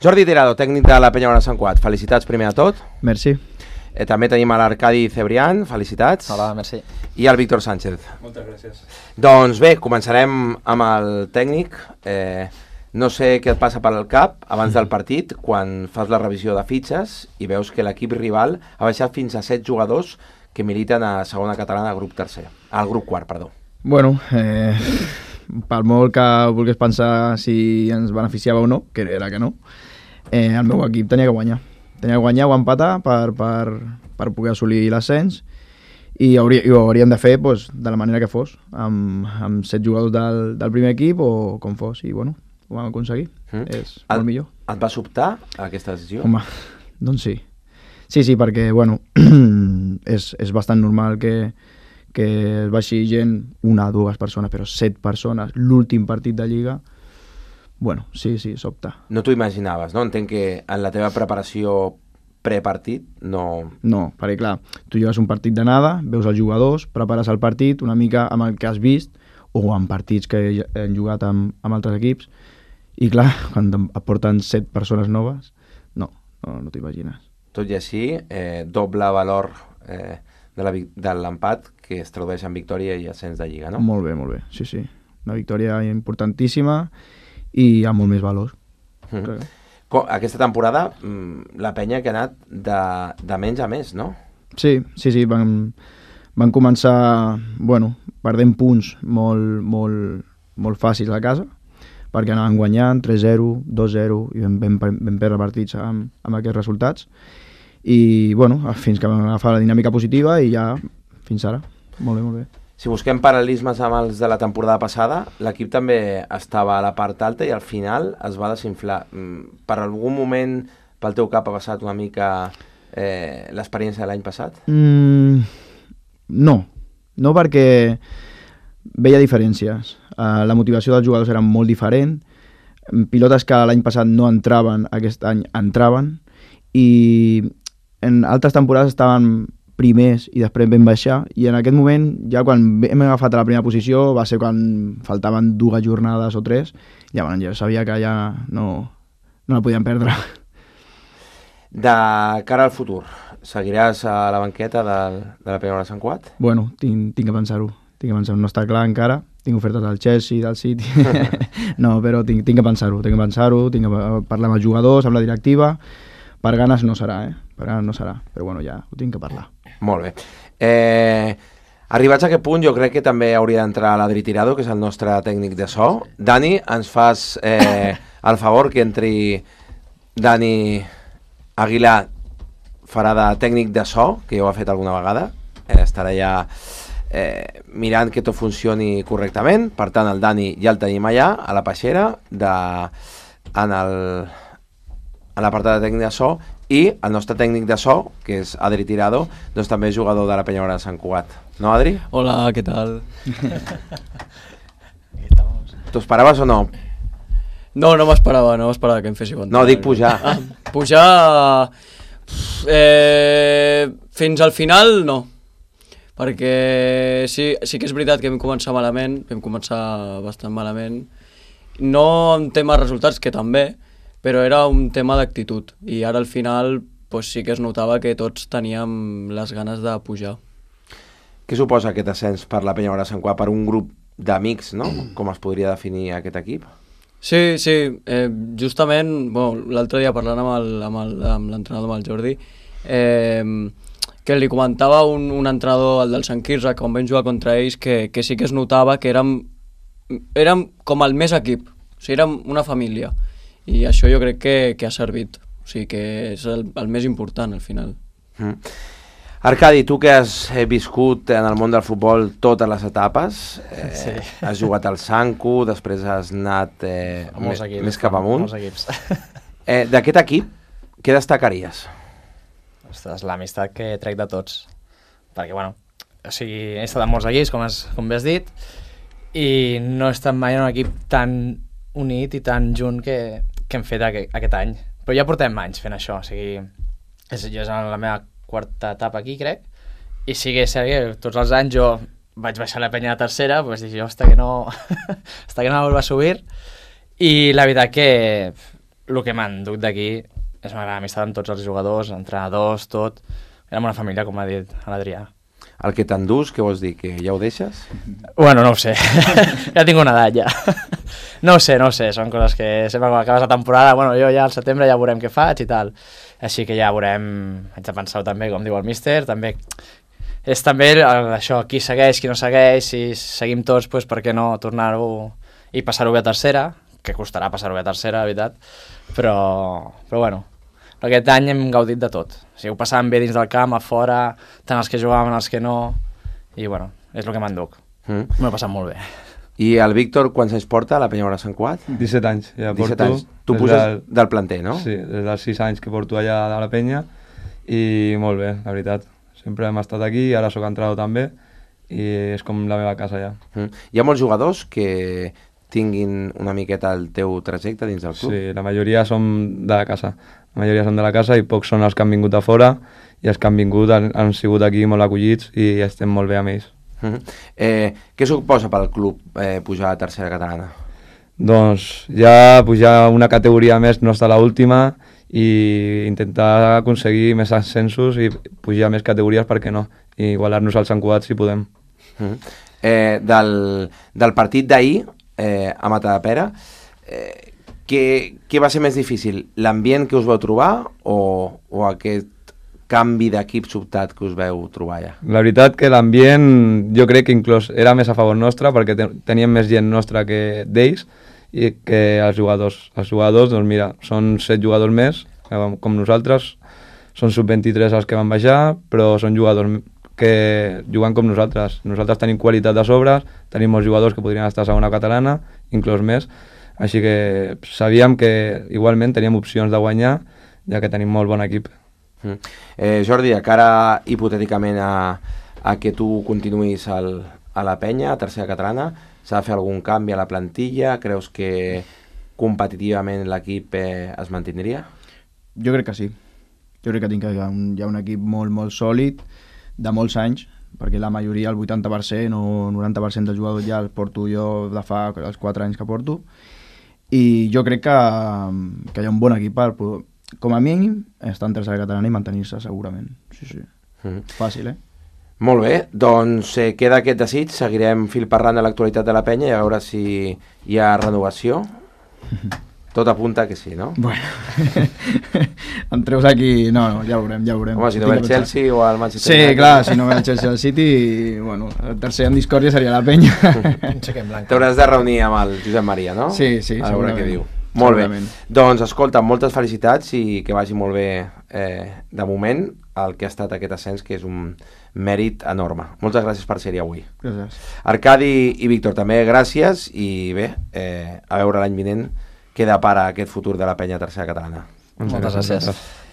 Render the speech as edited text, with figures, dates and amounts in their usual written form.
Jordi Tirado, tècnic de la Penyauana Sant Cugat. Felicitats primer de tot. Merci. També tenim l'Arcadi Cebrián, felicitats. Hola, merci. I el Víctor Sánchez. Moltes gràcies. Doncs bé, començarem amb el tècnic. No sé què et passa per al cap abans del partit, quan fas la revisió de fitxes i veus que l'equip rival ha baixat fins a 7 jugadors que militen a segona catalana al grup quart, perdó. Bueno, per molt que volgués pensar si ens beneficiava o no, que era que no, el meu equip tenia que guanyar. Tenia que guanyar o empatar per poder assolir l'ascens i ho hauríem de fer doncs, de la manera que fos, amb 7 jugadors del primer equip o com fos, i bueno, ho vam aconseguir. És molt millor. Et va sobtar aquesta decisió? Home, doncs sí. Sí, perquè bueno, és bastant normal que es baixi gent, 1 o 2 persones, però 7 persones, l'últim partit de Lliga, bueno, sí, sobta. No t'ho imaginaves, no? Entenc que en la teva preparació prepartit no... No, perquè clar, tu jugues un partit d'anada, veus els jugadors, prepares el partit una mica amb el que has vist, o amb partits que han jugat amb altres equips, i clar, quan et porten 7 persones noves, no t'ho imagines. Tot i així, doble valor de l'empat que es tradueix en victòria i ascens de Lliga, no? Molt bé, sí. Una victòria importantíssima i amb molt més valor. Aquesta temporada la penya que ha anat de menys a més, no? Sí, van començar perdent punts molt fàcils a casa, perquè anaven guanyant 3-0, 2-0 i vam perdre partits amb aquests resultats i fins que vam agafar la dinàmica positiva i ja fins ara, molt bé. Si busquem paral·lelismes amb els de la temporada passada, l'equip també estava a la part alta i al final es va desinflar. Per algun moment pel teu cap ha passat una mica l'experiència de l'any passat? No perquè veia diferències. La motivació dels jugadors era molt diferent. Pilotes que l'any passat no entraven, aquest any entraven, i en altres temporades estaven primers i després vam baixar, i en aquest moment, ja quan hem agafat a la primera posició, va ser quan faltaven 2 jornades o 3, ja sabia que ja no la podíem perdre. De cara al futur, seguiràs a la banqueta de la Penyauana Sant Cugat? Bueno, tinc que pensar-ho. No està clar encara, tinc ofertes del Chelsea, del City, no, però tinc que pensar-ho, tinc que parlar amb els jugadors, amb la directiva. Per ganes no serà, però bueno, ja ho tinc que parlar. Molt bé. Arribats a aquest punt, jo crec que també hauria d'entrar l'Adri Tirado, que és el nostre tècnic de so. Dani, ens fas el favor que entri Dani Aguilar, farà de tècnic de so, que ja ho ha fet alguna vegada, estarà ja mirant que tot funcioni correctament. Per tant, el Dani ja el tenim allà, a la peixera, en l'apartat de tècnic de so, i el nostre tècnic de so, que és Adri Tirado, doncs també és jugador de la Penyauana de Sant Cugat. No, Adri? Hola, ¿qué tal? T'ho esperaves o no? No m'esperava que em fessi compte. No, dic pujar. Pujar... fins al final, no. Perquè sí que és veritat que vam començar bastant malament. No en tema resultats, que també, però era un tema d'actitud, i ara al final sí que es notava que tots teníem les ganes de pujar. Què suposa aquest ascens per la Penyauana de Sant Cugat, per un grup d'amics, no? Com es podria definir aquest equip? Sí, justament, l'altre dia parlant amb l'entrenador, amb el Jordi, que li comentava un entrenador, el del Sant Quirze, quan vam jugar contra ells, que sí que es notava que érem com el més equip, o sigui, érem una família. I això jo crec que ha servit, o sigui que és el més important al final. Arcadi, tu que has viscut en el món del futbol totes les etapes, sí. Has jugat al Sancu, després has anat més cap amunt. Molts equips. D'aquest equip, què destacaries? Ostres, l'amistat que trec de tots, perquè he estat en molts equips, com bé has dit, i no he estat mai en un equip tan unit i tan junt que hem fet aquest any, però ja portem anys fent això, o sigui, jo és la meva 4ª etapa aquí, crec, i sí que és cert que tots els anys jo vaig baixar la penya a 3ª, doncs dic jo, hasta que no vuelva a subir, i la veritat que el que m'enduc d'aquí és una gran amistat amb tots els jugadors, entrenadors, tot. Érem una família, com ha dit l'Adrià. El que t'endús, què vols dir? Que ja ho deixes? Bueno, no ho sé. Ja tinc una edat, ja. No ho sé. Són coses que sempre quan acabes la temporada, bueno, jo ja al setembre ja veurem què faig i tal. Així que ja veurem, haig de pensar també, com diu el míster, també és també això, qui segueix, qui no segueix, si seguim tots, doncs per què no tornar-ho i passar-ho bé a tercera, que costarà passar-ho bé a tercera, la veritat, però bueno, aquest any hem gaudit de tot. O sigui, ho passàvem bé dins del camp, a fora, tant els que jugàvem, els que no, i bueno, és el que m'enduc. M'ho he passat molt bé. I el Víctor, quants anys porta a la Penyora Sant Cuat? 17 anys, ja 17 porto. anys. Tu puges del planter, no? Sí, des dels 6 anys que porto allà a la penya, i molt bé, la veritat. Sempre hem estat aquí, ara sóc entrenador també, i és com la meva casa ja. Hi ha molts jugadors que tinguin una miqueta el teu trajecte dins del club? Sí, la majoria som de la casa. La majoria són de la casa i pocs són els que han vingut a fora, i els que han vingut han sigut aquí molt acollits i estem molt bé amb ells. Què suposa pel club pujar a tercera catalana? Doncs ja pujar una categoria més no està a l'última i intentar aconseguir més ascensos i pujar més categories, per què no? I igualar-nos als Sant Cugat si podem. Del partit d'ahir a Matadepera, què va ser més difícil? L'ambient que us vau trobar o aquest canvi d'equip sobtat que us veu trobar ja? La veritat que l'ambient jo crec que inclús era més a favor nostre perquè teníem més gent nostra que d'ells i que els jugadors. Els jugadors, doncs mira, són 7 jugadors més, com nosaltres, són sub-23 els que van baixar, però són jugadors que juguen com nosaltres. Nosaltres tenim qualitat de sobres, tenim molts jugadors que podrien estar a segona catalana, inclús més, així que sabíem que igualment teníem opcions de guanyar, ja que tenim molt bon equip. Jordi, de cara hipotèticament a que tu continuïs a la penya, a tercera catalana, s'ha de fer algun canvi a la plantilla? Creus que competitivament l'equip es mantindria? Jo crec que sí. Jo crec que hi ha un equip molt, molt sòlid, de molts anys, perquè la majoria, el 80% o 90% dels jugadors ja els porto jo de fa els 4 anys que porto, i jo crec que hi ha un bon equip per, com a mínim, estar en tercera catalana i mantenir-se segurament. Sí. Fàcil, Molt bé, doncs queda aquest desig, seguirem fil parlant de l'actualitat de la penya i a veure si hi ha renovació. Tot apunta que sí, no? Bueno, em treus aquí... No, ja ho veurem. Home, si no ve el Chelsea o el Manchester United... Sí, clar, si no ve el Chelsea o el City, bueno, el tercer en discòrdia seria la penya. T'hauràs de reunir amb el Josep Maria, no? Sí, a veure què diu. Molt bé. Doncs, escolta, moltes felicitats i que vagi molt bé de moment el que ha estat aquest ascens, que és un mèrit enorme. Moltes gràcies per ser-hi avui. Gràcies. Arcadi i Víctor, també gràcies i bé, a veure l'any vinent què depara aquest futur de la penya tercera catalana. Moltes gràcies.